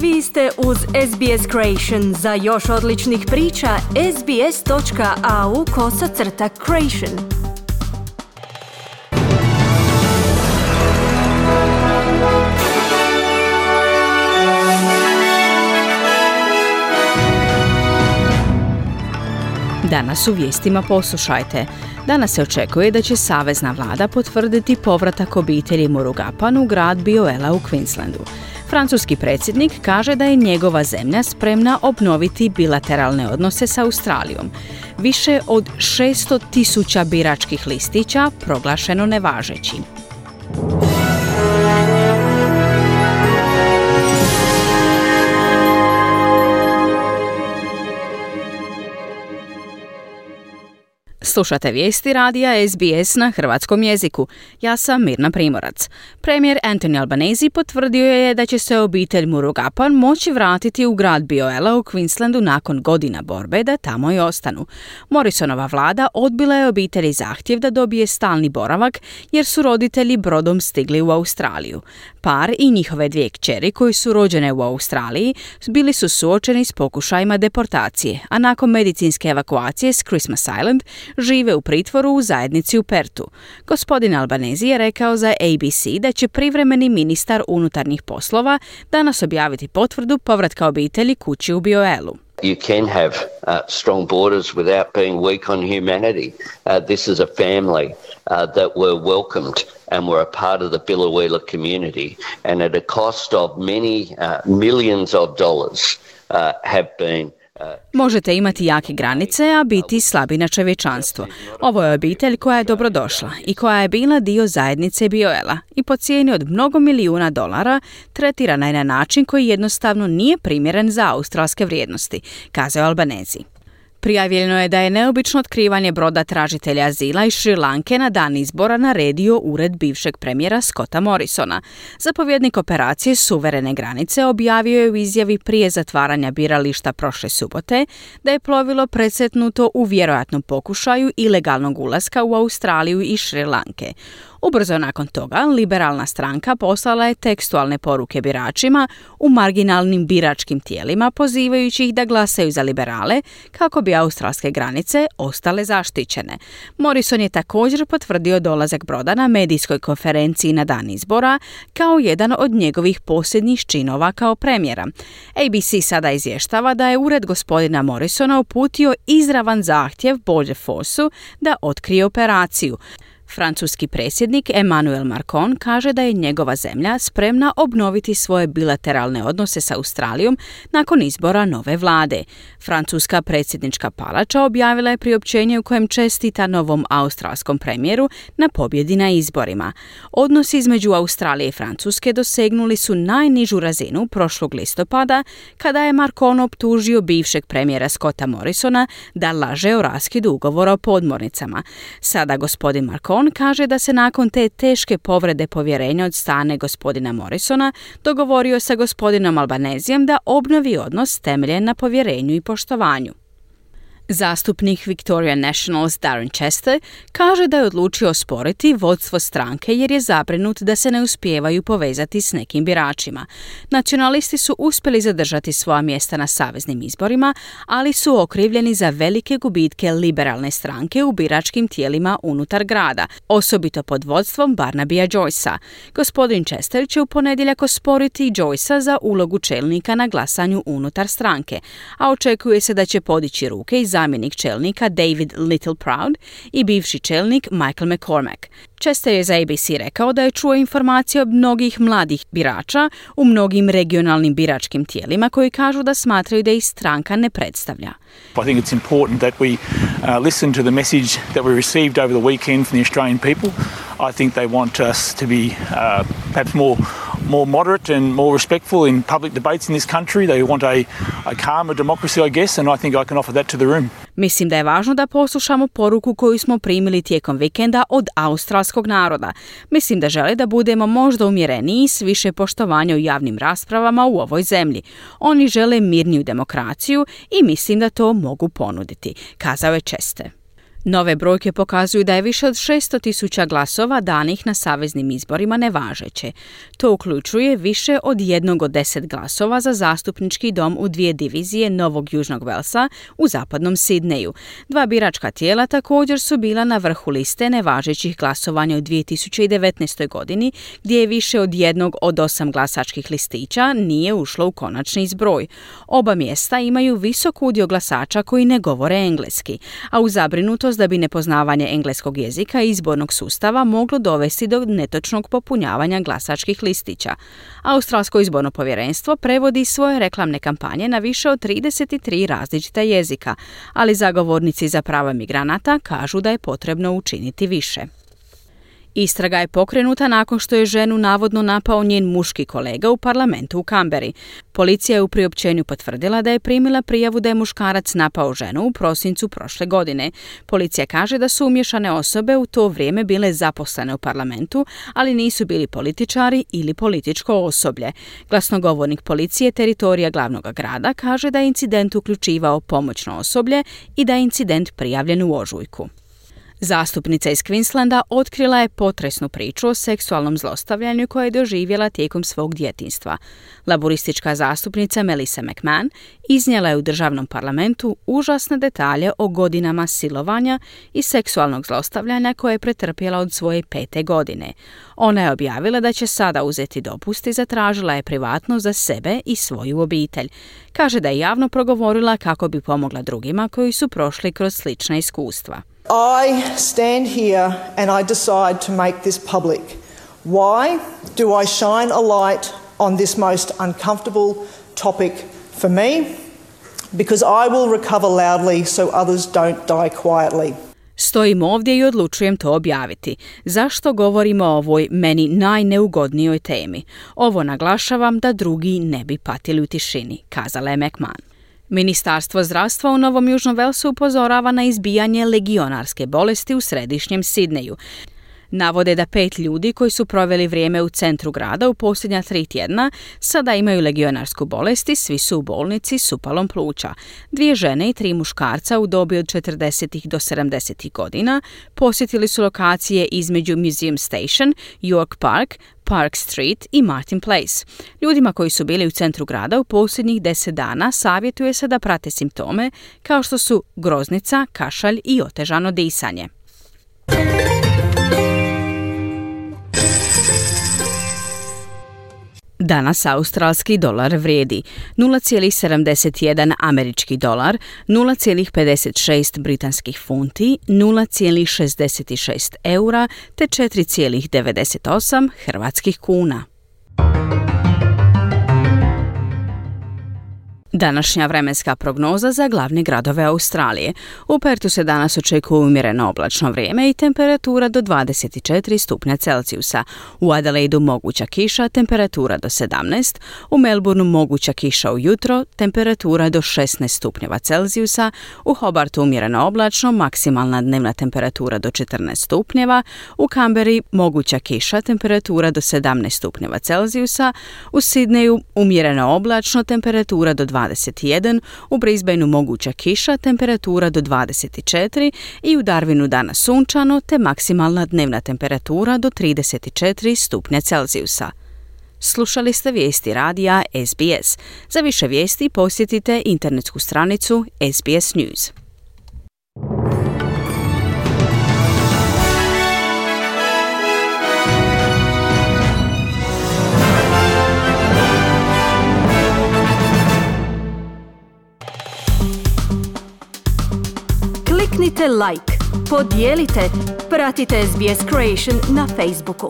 Vi ste uz SBS Creation. Za još odličnih priča, sbs.au/creation. Danas u vijestima poslušajte. Danas se očekuje da će savezna vlada potvrditi povratak obitelji Murugapan u grad Bioela u Queenslandu. Francuski predsjednik kaže da je njegova zemlja spremna obnoviti bilateralne odnose s Australijom. Više od 600,000 biračkih listića proglašeno nevažećim. Slušate vijesti radija SBS na hrvatskom jeziku. Ja sam Mirna Primorac. Premijer Anthony Albanese potvrdio je da će se obitelj Murugapan moći vratiti u grad Bioela u Queenslandu nakon godina borbe da tamo i ostanu. Morrisonova vlada odbila je obitelji zahtjev da dobije stalni boravak jer su roditelji brodom stigli u Australiju. Par i njihove dvije kćeri koji su rođene u Australiji bili su suočeni s pokušajima deportacije, a nakon medicinske evakuacije s Christmas Island žive u pritvoru u zajednici u Pertu. Gospodin Albanese je rekao za ABC da će privremeni ministar unutarnjih poslova danas objaviti potvrdu povratka obitelji kući u Bioelu. You can have strong borders without being weak on humanity. This is a family that were welcomed and were a part of the Biloela community, and at a cost of many millions of dollars have been. Možete imati jake granice, a biti slabi na čovječanstvo. Ovo je obitelj koja je dobrodošla i koja je bila dio zajednice Bioela i po cijeni od mnogo milijuna dolara tretirana je na način koji jednostavno nije primjeren za australske vrijednosti, kazao Albanese. Prijavljeno je da je neobično otkrivanje broda tražitelja azila iz Šri Lanke na dan izbora naredio ured bivšeg premijera Scotta Morrisona. Zapovjednik operacije Suverene granice objavio je u izjavi prije zatvaranja birališta prošle subote da je plovilo presretnuto u vjerojatnom pokušaju ilegalnog ulaska u Australiju i Šri Lanke. Ubrzo nakon toga, liberalna stranka poslala je tekstualne poruke biračima u marginalnim biračkim tijelima, pozivajući ih da glasaju za liberale kako bi australske granice ostale zaštićene. Morrison je također potvrdio dolazak broda na medijskoj konferenciji na dan izbora kao jedan od njegovih posljednjih činova kao premijera. ABC sada izvještava da je ured gospodina Morrisona uputio izravan zahtjev Border Forceu da otkrije operaciju. Francuski predsjednik Emmanuel Macron kaže da je njegova zemlja spremna obnoviti svoje bilateralne odnose s Australijom nakon izbora nove vlade. Francuska predsjednička palača objavila je priopćenje u kojem čestita novom australskom premijeru na pobjedi na izborima. Odnosi između Australije i Francuske dosegnuli su najnižu razinu prošlog listopada kada je Macron optužio bivšeg premijera Scotta Morrisona da laže o raskidu ugovora o podmornicama. Sada gospodin Macron kaže da se nakon te teške povrede povjerenja od strane gospodina Morrisona dogovorio sa gospodinom Albanesejem da obnovi odnos temeljen na povjerenju i poštovanju. Zastupnik Victoria Nationals Darren Chester kaže da je odlučio osporiti vodstvo stranke jer je zabrinut da se ne uspijevaju povezati s nekim biračima. Nacionalisti su uspjeli zadržati svoja mjesta na saveznim izborima, ali su okrivljeni za velike gubitke liberalne stranke u biračkim tijelima unutar grada, osobito pod vodstvom Barnabya Joycea. Gospodin Chester će u ponedjeljak osporiti Joycea za ulogu čelnika na glasanju unutar stranke, a očekuje se da će podići ruke i zamjenik čelnika David Littleproud i bivši čelnik Michael McCormack. Chester je za ABC rekao da je čuo informacije od mnogih mladih birača u mnogim regionalnim biračkim tijelima koji kažu da smatraju da ih stranka ne predstavlja. I think it's important that we listen to the message that we received over the weekend from the Australian people. I think they want us to be perhaps more moderate and more respectful in public debates in this country. They want a calmer democracy, I guess, and I think I can offer that to the room. Mislim da je važno da poslušamo poruku koju smo primili tijekom vikenda od australskog naroda. Mislim da žele da budemo možda umjereniji s više poštovanja u javnim raspravama u ovoj zemlji. Oni žele mirniju demokraciju i mislim da to mogu ponuditi, kazao je Chester. Nove brojke pokazuju da je više od 600,000 glasova danih na saveznim izborima nevažeće. To uključuje više od 1 od 10 glasova za zastupnički dom u 2 divizije Novog Južnog Velsa u zapadnom Sidneju. 2 biračka tijela također su bila na vrhu liste nevažećih glasovanja u 2019. godini, gdje je više od 1 od 8 glasačkih listića nije ušlo u konačni zbroj. Oba mjesta imaju visok udio glasača koji ne govore engleski, a u zabrinutost da bi nepoznavanje engleskog jezika i izbornog sustava moglo dovesti do netočnog popunjavanja glasačkih listića. Australsko izborno povjerenstvo prevodi svoje reklamne kampanje na više od 33 različita jezika, ali zagovornici za prava migranata kažu da je potrebno učiniti više. Istraga je pokrenuta nakon što je ženu navodno napao njen muški kolega u parlamentu u Kamberi. Policija je u priopćenju potvrdila da je primila prijavu da je muškarac napao ženu u prosincu prošle godine. Policija kaže da su umiješane osobe u to vrijeme bile zaposlene u parlamentu, ali nisu bili političari ili političko osoblje. Glasnogovornik policije teritorija glavnog grada kaže da je incident uključivao pomoćno osoblje i da je incident prijavljen u ožujku. Zastupnica iz Queenslanda otkrila je potresnu priču o seksualnom zlostavljanju koje je doživjela tijekom svog djetinjstva. Laboristička zastupnica Melissa McMahon iznijela je u državnom parlamentu užasne detalje o godinama silovanja i seksualnog zlostavljanja koje je pretrpjela od svoje 5. godine. Ona je objavila da će sada uzeti dopust i zatražila je privatno za sebe i svoju obitelj. Kaže da je javno progovorila kako bi pomogla drugima koji su prošli kroz slična iskustva. I stand here and I decide to make this public. Why do I shine a light on this most uncomfortable topic for me? Because I will recover loudly so others don't die quietly. Stojim ovdje i odlučujem to objaviti. Zašto govorimo o ovoj meni najneugodnijoj temi? Ovo naglašavam da drugi ne bi patili u tišini, kazala je McMahon. Ministarstvo zdravstva u Novom Južnom Velsu upozorava na izbijanje legionarske bolesti u središnjem Sidneju. Navode da 5 ljudi koji su proveli vrijeme u centru grada u posljednja 3 tjedna sada imaju legionarsku bolest i svi su u bolnici s upalom pluća. 2 žene i 3 muškarca u dobi od 40 do 70 godina posjetili su lokacije između Museum Station, York Park, Park Street i Martin Place. Ljudima koji su bili u centru grada u posljednjih 10 dana savjetuje se da prate simptome kao što su groznica, kašalj i otežano disanje. Danas australski dolar vrijedi 0,71 američki dolar, 0,56 britanskih funti, 0,66 eura te 4,98 hrvatskih kuna. Današnja vremenska prognoza za glavne gradove Australije. U Pertu se danas očekuje umjereno oblačno vrijeme i temperatura do 24 stupnja Celzijusa. U Adelaidu moguća kiša, temperatura do 17. U Melbourneu moguća kiša ujutro, temperatura do 16 stupnjeva Celzijusa. U Hobartu umjereno oblačno, maksimalna dnevna temperatura do 14 stupnjeva. U Canberri moguća kiša, temperatura do 17 stupnjeva Celzijusa. U Sidneju umjereno oblačno, temperatura do 21, u Brisbaneu moguća kiša, temperatura do 24 i u Darwinu danas sunčano te maksimalna dnevna temperatura do 34 stupnja Celzijusa. Slušali ste vijesti radija SBS. Za više vijesti posjetite internetsku stranicu SBS News. Kliknite like, podijelite, pratite SBS Creation na Facebooku.